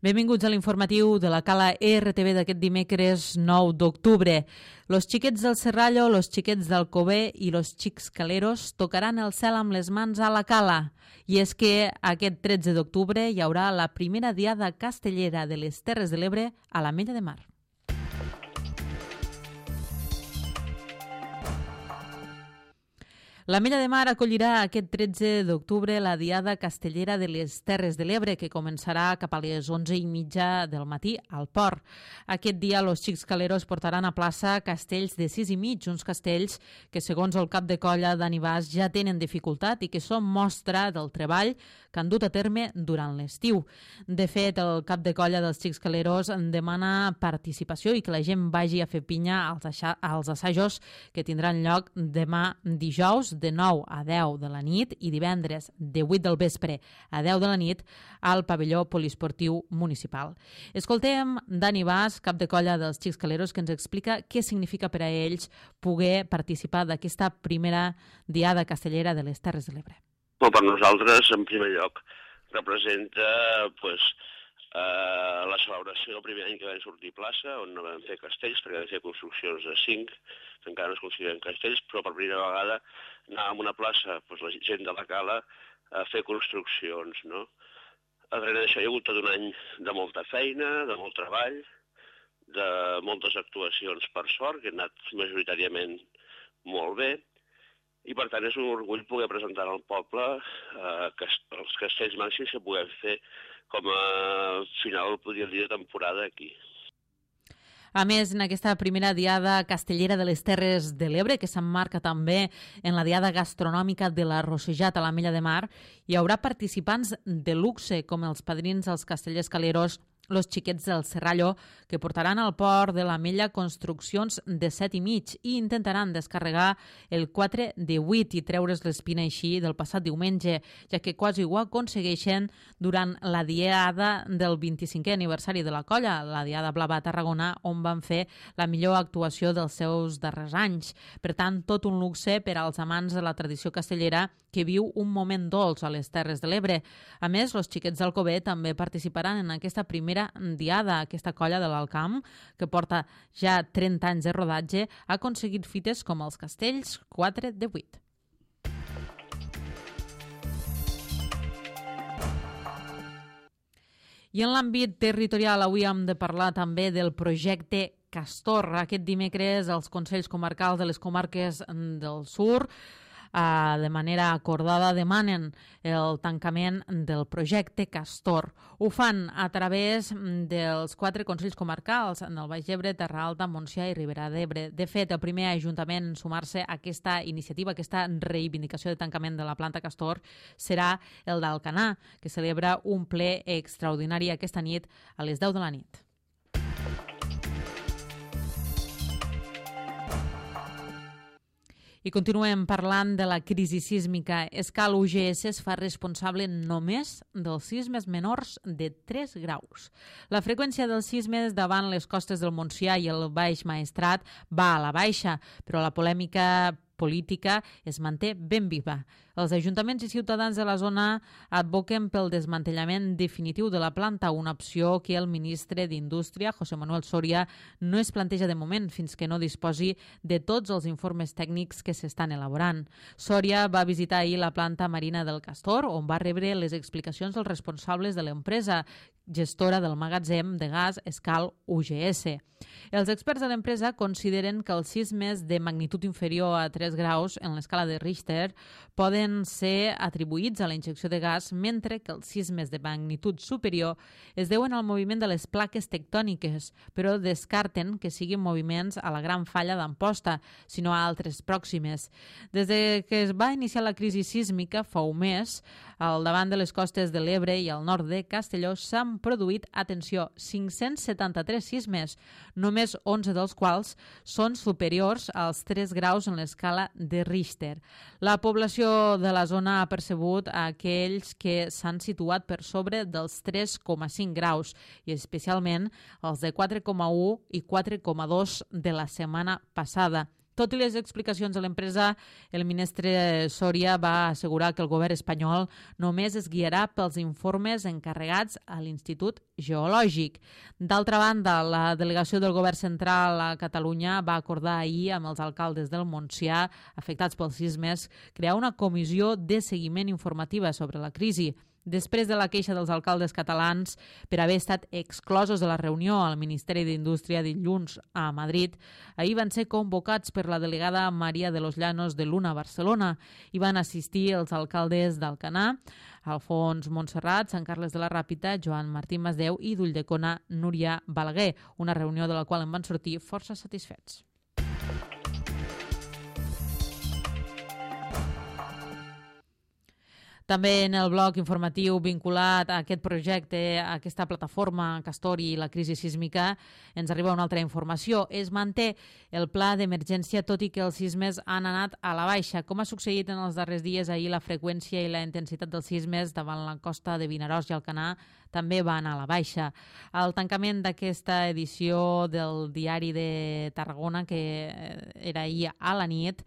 Benvinguts a l'informatiu de la Cala RTV d'aquest dimecres 9 d'octubre. Los xiquets del Serrallo, los xiquets d'Alcover i los xics caleros tocaran el cel amb les mans a la Cala. I és que aquest 13 d'octubre hi haurà la primera diada castellera de les Terres de l'Ebre a l'Ametlla de Mar. L'Ametlla de Mar acollirà aquest 13 d'octubre la Diada Castellera de les Terres de l'Ebre, que començarà cap a les 11:30 del matí al port. Aquest dia, los xics caleros portaran a plaça castells de 6,5, uns castells que, segons el cap de colla Dani Bas, ja tenen dificultat i que són mostra del treball que han dut a terme durant l'estiu. De fet, el cap de colla dels xics caleros demana participació i que la gent vagi a fer pinya als assajos que tindran lloc demà dijous de 9 a 10 de la nit i divendres de 8 del vespre a 10 de la nit al pavelló poliesportiu municipal. Escoltem Dani Bas, cap de colla dels xics caleros, que ens explica què significa per a ells poder participar d'aquesta primera diada castellera de les Terres de l'Ebre. Per nosaltres, en primer lloc, representa la celebració del primer any que vam sortir a plaça, on no vam fer castells, perquè vam fer construccions de 5, que encara no es consideren castells, però per primera vegada anàvem a una plaça, la gent de la Cala, a fer construccions, no? Darrere d'això hi ha hagut tot un any de molta feina, de molt treball, de moltes actuacions per sort, que han anat majoritàriament molt bé, i per tant és un orgull poder presentar al poble els castells màxims que puguem fer com a final, podríem dir, de temporada aquí. A més, en aquesta primera diada castellera de les Terres de l'Ebre, que s'emmarca també en la diada gastronòmica de la Rossejat a l'Ametlla de Mar, hi haurà participants de luxe, com els padrins dels castellers caleros, los xiquets del Serrallo, que portaran al port de l'Ametlla construccions de 7,5 i intentaran descarregar el 4 de 8 i treure's l'espina així del passat diumenge, ja que quasi ho aconsegueixen durant la diada del 25è aniversari de la colla, la Diada Blava a Tarragona, on van fer la millor actuació dels seus darrers anys. Per tant, tot un luxe per als amants de la tradició castellera que viu un moment dolç a les Terres de l'Ebre. A més, los xiquets d'Alcover també participaran en aquesta primera diada. Aquesta colla de l'Alt Camp, que porta ja 30 anys de rodatge, ha aconseguit fites com els castells 4 de 8. I en l'àmbit territorial avui hem de parlar també del projecte Castor. Aquest dimecres els Consells Comarcals de les comarques del Sur de manera acordada demanen el tancament del projecte Castor. Ho fan a través dels 4 Consells Comarcals, en el Baix Ebre, Terra Alta, Montsià i Ribera d'Ebre. De fet, el primer ajuntament en sumar-se a aquesta iniciativa, aquesta reivindicació de tancament de la planta Castor, serà el d'Alcanar, que celebra un ple extraordinari aquesta nit a les 10 de la nit. I continuem parlant de la crisi sísmica. Escal UGS es fa responsable només dels sismes menors de 3 graus. La freqüència dels sismes davant les costes del Montsià i el Baix Maestrat va a la baixa, però la polèmica política es manté ben viva. Els ajuntaments i ciutadans de la zona advoquen pel desmantellament definitiu de la planta, una opció que el ministre d'Indústria, José Manuel Soria, no es planteja de moment fins que no disposi de tots els informes tècnics que s'estan elaborant. Soria va visitar ahir la planta marina del Castor, on va rebre les explicacions dels responsables de l'empresa, gestora del magatzem de gas Escal UGS. Els experts de l'empresa consideren que els sismes de magnitud inferior a 3 graus en l'escala de Richter poden ser atribuïts a la injecció de gas, mentre que els sismes de magnitud superior es deuen al moviment de les plaques tectòniques, però descarten que siguin moviments a la Gran Falla d'Amposta, sinó a altres pròximes. Des que es va iniciar la crisi sísmica fa un mes, al davant de les costes de l'Ebre i al nord de Castelló s'han produït, atenció, 573 sismes, només 11 dels quals són superiors als 3 graus en l'escala de Richter. La població de la zona ha percebut aquells que s'han situat per sobre dels 3,5 graus i especialment els de 4,1 i 4,2 de la setmana passada. Tot i les explicacions de l'empresa, el ministre Soria va assegurar que el govern espanyol només es guiarà pels informes encarregats a l'Institut Geològic. D'altra banda, la delegació del govern central a Catalunya va acordar ahir amb els alcaldes del Montsià afectats pels sismes crear una comissió de seguiment informativa sobre la crisi. Després de la queixa dels alcaldes catalans per haver estat exclosos de la reunió al Ministeri d'Indústria dilluns a Madrid, ahir van ser convocats per la delegada Maria de los Llanos de l'UNA Barcelona i van assistir els alcaldes d'Alcanar, Alfons Montserrat, Sant Carles de la Ràpita, Joan Martí Masdeu i d'Ulldecona, Núria Balaguer, una reunió de la qual en van sortir força satisfets. També en el bloc informatiu vinculat a aquest projecte, a aquesta plataforma Castori i la crisi sísmica, ens arriba una altra informació. Es manté el pla d'emergència, tot i que els sismes han anat a la baixa. Com ha succeït en els darrers dies, ahir la freqüència i la intensitat dels sismes davant la costa de Vinaròs i Alcanar també va anar a la baixa. Al tancament d'aquesta edició del Diari de Tarragona, que era ahir a la nit,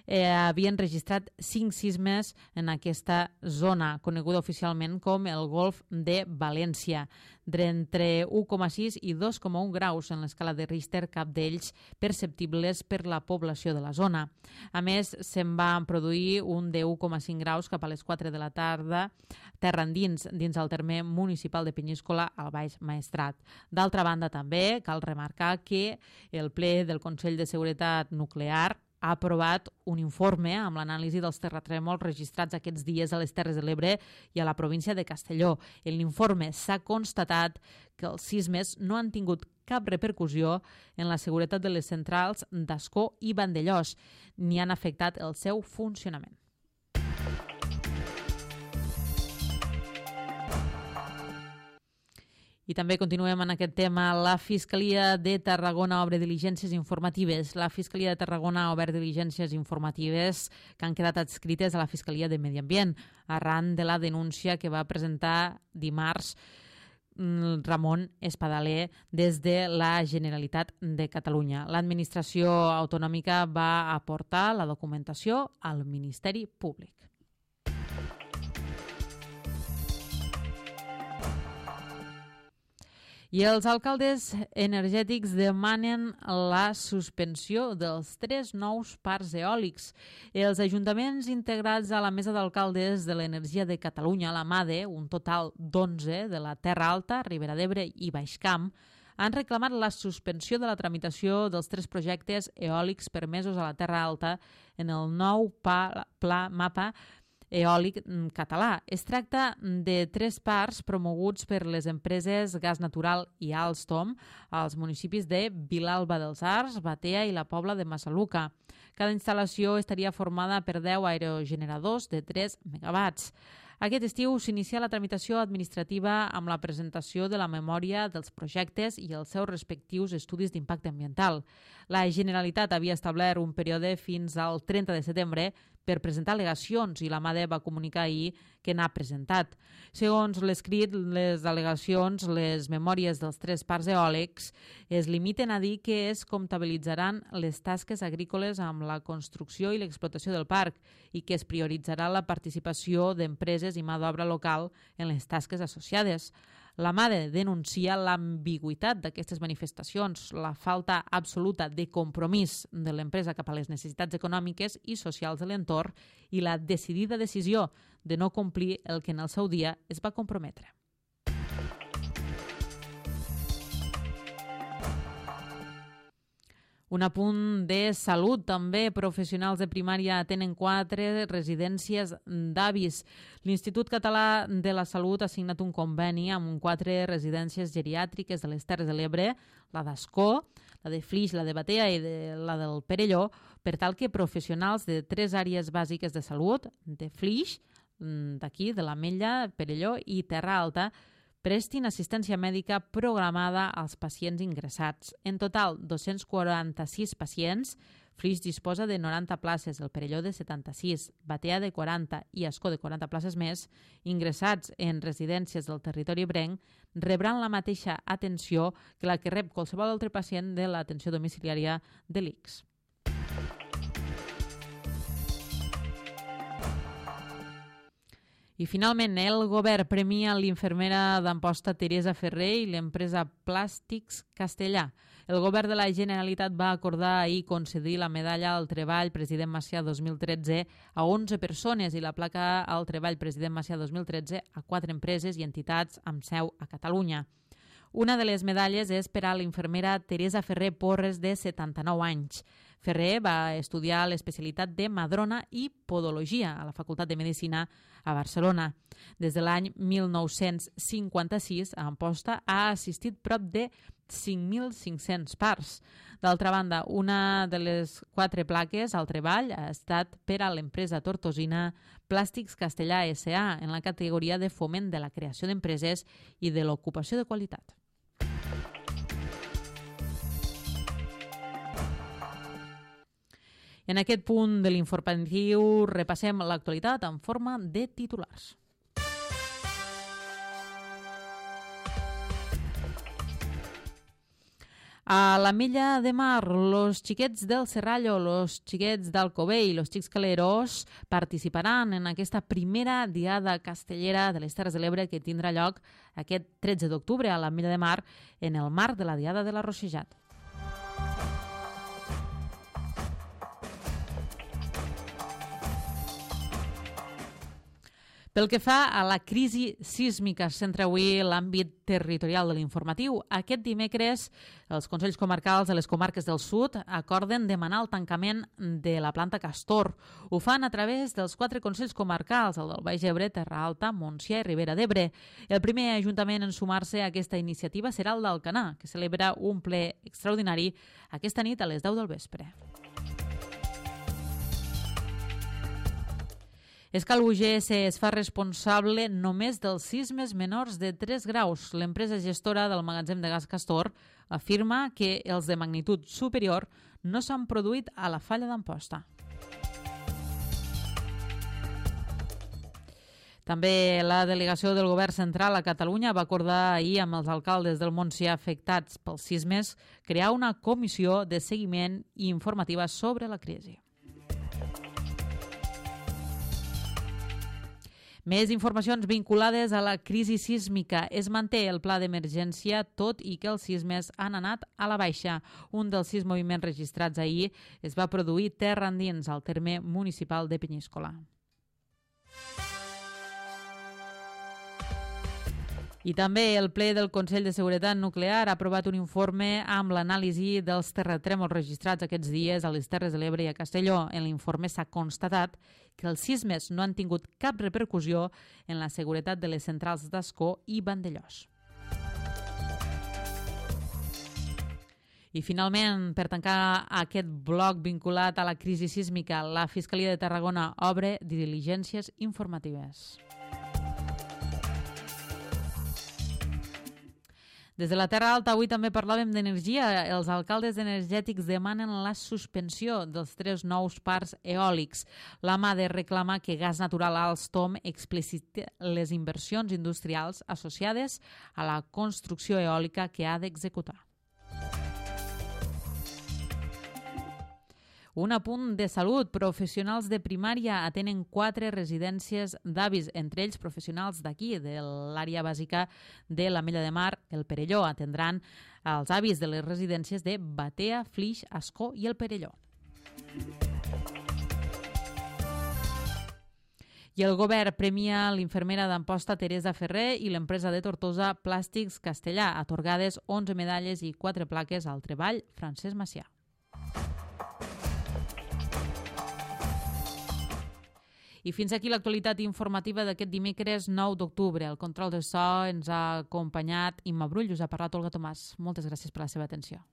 havien registrat 5 sismes en aquesta zona, coneguda oficialment com el Golf de València, d'entre 1,6 i 2,1 graus en l'escala de Richter, cap d'ells perceptibles per la població de la zona. A més, se'n va produir un de 1,5 graus cap a les 4 de la tarda, terra endins, dins el terme municipal de Penyíscola, al Baix Maestrat. D'altra banda, també cal remarcar que el ple del Consell de Seguretat Nuclear ha aprovat un informe amb l'anàlisi dels terratrèmols registrats aquests dies a les Terres de l'Ebre i a la província de Castelló. En l'informe s'ha constatat que els sismes no han tingut cap repercussió en la seguretat de les centrals d'Ascó i Vandellòs, ni han afectat el seu funcionament. I també continuem en aquest tema. La Fiscalia de Tarragona obre diligències informatives. La Fiscalia de Tarragona ha obert diligències informatives que han quedat adscrites a la Fiscalia de Medi Ambient arran de la denúncia que va presentar dimarts Ramon Espadaler des de la Generalitat de Catalunya. L'administració autonòmica va aportar la documentació al Ministeri Públic. I els alcaldes energètics demanen la suspensió dels 3 nous parcs eòlics. Els ajuntaments integrats a la Mesa d'Alcaldes de l'Energia de Catalunya, la MADE, un total d'11 de la Terra Alta, Ribera d'Ebre i Baix Camp, han reclamat la suspensió de la tramitació dels 3 projectes eòlics permesos a la Terra Alta en el nou mapa eòlic català. Es tracta de 3 parcs promoguts per les empreses Gas Natural i Alstom als municipis de Vilalba dels Arcs, Batea i la Pobla de Massaluca. Cada instal·lació estaria formada per 10 aerogeneradors de 3 megawatts. Aquest estiu s'inicia la tramitació administrativa amb la presentació de la memòria dels projectes i els seus respectius estudis d'impacte ambiental. La Generalitat havia establert un període fins al 30 de setembre per presentar al·legacions i la MADE va comunicar ahir que n'ha presentat. Segons l'escrit, les al·legacions, les memòries dels 3 parcs eòlics es limiten a dir que es comptabilitzaran les tasques agrícoles amb la construcció i l'explotació del parc i que es prioritzarà la participació d'empreses i mà d'obra local en les tasques associades. La MADE denuncia l'ambigüitat d'aquestes manifestacions, la falta absoluta de compromís de l'empresa cap a les necessitats econòmiques i socials de l'entorn i la decidida decisió de no complir el que en el seu dia es va comprometre. Un apunt de salut, també. Professionals de primària tenen 4 residències d'avis. L'Institut Català de la Salut ha signat un conveni amb 4 residències geriàtriques de les Terres de l'Ebre, la d'Ascó, la de Flix, la de Batea i la del Perelló, per tal que professionals de 3 àrees bàsiques de salut, de Flix, d'aquí, de l'Ametlla, Perelló i Terra Alta, prestin assistència mèdica programada als pacients ingressats. En total, 246 pacients. Flix disposa de 90 places, el Perelló de 76, Batea de 40 i Ascó de 40 places més, ingressats en residències del territori ebrenc, rebran la mateixa atenció que la que rep qualsevol altre pacient de l'atenció domiciliària de l'ICS. I finalment, el govern premia l'infermera d'Amposta Teresa Ferrer i l'empresa Plàstics Castellà. El govern de la Generalitat va acordar ahir concedir la medalla al Treball President Macià 2013 a 11 persones i la placa al Treball President Macià 2013 a 4 empreses i entitats amb seu a Catalunya. Una de les medalles és per a l'infermera Teresa Ferrer Porres, de 79 anys. Ferrer va estudiar l'especialitat de Madrona i Podologia a la Facultat de Medicina a Barcelona. Des de l'any 1956, a Amposta ha assistit prop de 5.500 parts. D'altra banda, una de les 4 plaques al treball ha estat per a l'empresa tortosina Plàstics Castellà S.A. en la categoria de foment de la creació d'empreses i de l'ocupació de qualitat. En aquest punt de l'informatiu repassem l'actualitat en forma de titulars. A l'Ametlla de Mar, los xiquets del Serrallo, los xiquets d'Alcover i los xics caleros participaran en aquesta primera diada castellera de les Terres de l'Ebre que tindrà lloc aquest 13 d'octubre a l'Ametlla de Mar en el marc de la Diada de la Rossejat. Pel que fa a la crisi sísmica, es centra avui l'àmbit territorial de l'informatiu. Aquest dimecres, els Consells Comarcals de les comarques del sud acorden demanar el tancament de la planta Castor. Ho fan a través dels 4 Consells Comarcals, el del Baix Ebre, Terra Alta, Montsià i Ribera d'Ebre. El primer ajuntament en sumar-se a aquesta iniciativa serà el d'Alcanar, que celebra un ple extraordinari aquesta nit a les 10 del vespre. Escal UGS es fa responsable només dels sismes menors de 3 graus. L'empresa gestora del magatzem de gas Castor afirma que els de magnitud superior no s'han produït a la falla d'Amposta. També la delegació del Govern Central a Catalunya va acordar ahir amb els alcaldes del Montsià afectats pels sismes crear una comissió de seguiment i informativa sobre la crisi. Més informacions vinculades a la crisi sísmica. Es manté el pla d'emergència, tot i que els sismes han anat a la baixa. Un dels 6 moviments registrats ahir es va produir terra endins al terme municipal de Penyíscola. I també el ple del Consell de Seguretat Nuclear ha aprovat un informe amb l'anàlisi dels terratrèmols registrats aquests dies a les Terres de l'Ebre i a Castelló. En l'informe s'ha constatat que els sismes no han tingut cap repercussió en la seguretat de les centrals d'Ascó i Vandellòs. I finalment, per tancar aquest bloc vinculat a la crisi sísmica, la Fiscalia de Tarragona obre diligències informatives. Des de la Terra Alta avui també parlàvem d'energia. Els alcaldes energètics demanen la suspensió dels 3 nous parcs eòlics. La MADE reclama que Gas Natural Alstom expliciti les inversions industrials associades a la construcció eòlica que ha d'executar. Un apunt de salut. Professionals de primària atenen 4 residències d'avis, entre ells professionals d'aquí, de l'àrea bàsica de l'Ametlla de Mar, el Perelló. Atendran els avis de les residències de Batea, Flix, Ascó i el Perelló. I el govern premia l'infermera d'Amposta Teresa Ferrer i l'empresa de Tortosa Plàstics Castellà, atorgades 11 medalles i 4 plaques al treball Francesc Macià. I fins aquí l'actualitat informativa d'aquest dimecres 9 d'octubre. El control de so ens ha acompanyat Imma Brull, us ha parlat Olga Tomàs. Moltes gràcies per la seva atenció.